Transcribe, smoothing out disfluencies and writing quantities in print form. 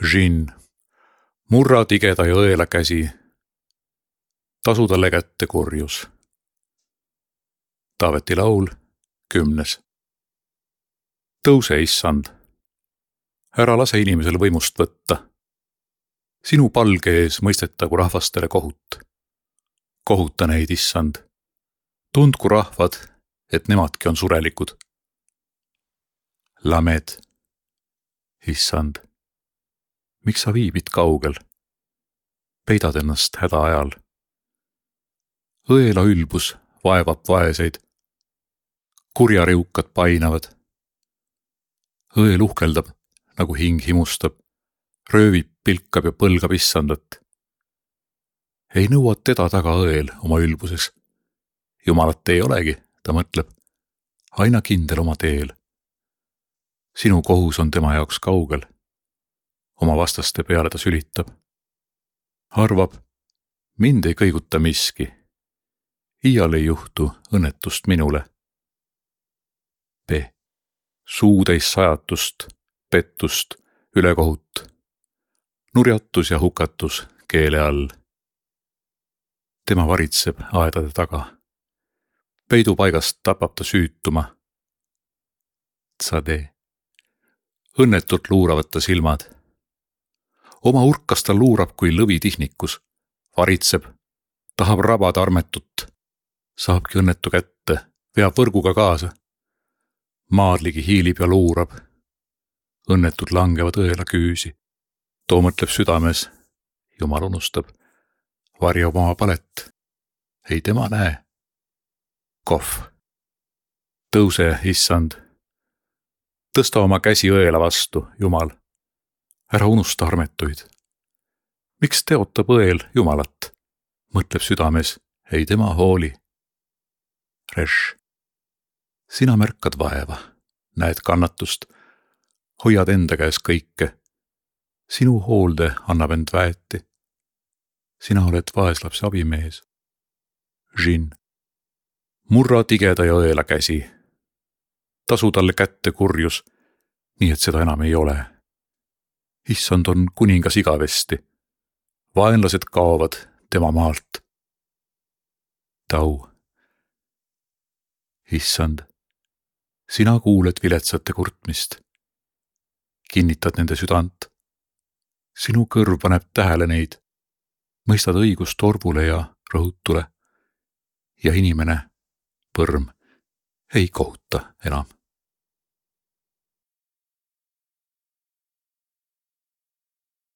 Žin, murra tigeda ja õela käsi, tasu talle kätte kurjus. Taaveti laul 10. Tõuse, issand. Ära lase inimesel võimust võtta. Sinu palge ees mõistetagu rahvastele kohut. Kohuta neid, issand. Tundku rahvad, et nemadki on surelikud. Lamed. Issand, miks sa viibid kaugel? Peidad ennast häda ajal. Õela ülbus vaevab vaeseid. Kurjariukad painavad. Õel uhkeldab, nagu hing himustab, röövib, pilkab ja põlgab issandat. Ei nõua teda taga õel oma ülbuses. Jumalat ei olegi, ta mõtleb, aina kindel oma teel. Sinu kohus on tema jaoks kaugel. Oma vastaste peale ta sülitab. Arvab, mind ei kõiguta miski. Iial ei juhtu õnnetust minule. B. Suutäis sajatust, pettust, ülekohut. Nurjatus ja hukatus keele all. Tema varitseb aedade taga. Peidupaigast tapab ta süütuma. Tsade. Õnnetult luuravad ta silmad. Oma urkas ta luurab kui lõvi tihnikus. Varitseb, tahab rabada armetut. Saabki õnnetu kätte, veab võrguga kaasa. Maadligi hiilib ja luurab. Õnnetud langevad õela küüsi. Too mõtleb südames. Jumal unustab. Varjab oma palet. Ei tema näe. Kohv. Tõuse, issand. Tõsta oma käsi õela vastu, Jumal. Ära unusta armetuid. Miks teotab õel Jumalat? Mõtleb südames. Ei tema hooli. Reš. Sina märkad vaeva, näed kannatust, hoiad enda käes kõike. Sinu hoolde annab end väeti. Sina oled vaeslapse abimees. Žin. Murra tigeda ja õela käsi. Tasu talle kätte kurjus, nii et seda enam ei ole. Issand on kuningas igavesti. Vaenlased kaovad tema maalt. Tau. Issand. Sina kuuled viletsate kurtmist. Kinnitad nende südant. Sinu kõrv paneb tähele neid. Mõistad õigust orvule ja rõhutule. Ja inimene, põrm, ei kohuta enam.